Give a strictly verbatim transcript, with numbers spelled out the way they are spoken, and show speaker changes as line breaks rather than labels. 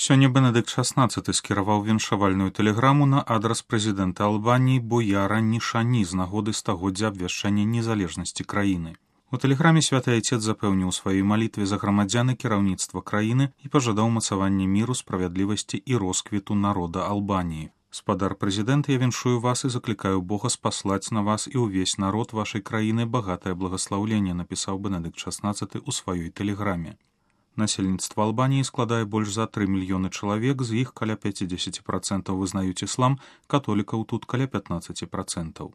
Сёння Бенедыкт шаснаццаты скіраваў віншавальную тэлеграму на адрас прэзідэнта Албаніі Бояра Нішані з нагоды стагоддзя абвяшчэння незалежнасці краіны. У тэлеграме святы айцец запэўніў у сваёй малітве за грамадзян і кіраўніцтва краіны і пажадаў мацавання міру, справядлівасці і росквіту народа Албаніі. Спадар прэзідэнт, я віншую вас і заклікаю Бога спаслаць на вас і ўвесь народ вашай краіны багатае благаслаўленне, напісаў Бенедыкт шаснаццаты ў сваёй тэлеграме. Насельніцтва Албаніі складае больш за тры мільёны чалавек, з іх каля пяцьдзесят працэнтаў вызнаюць іслам, католікаў тут каля пятнаццаць працэнтаў.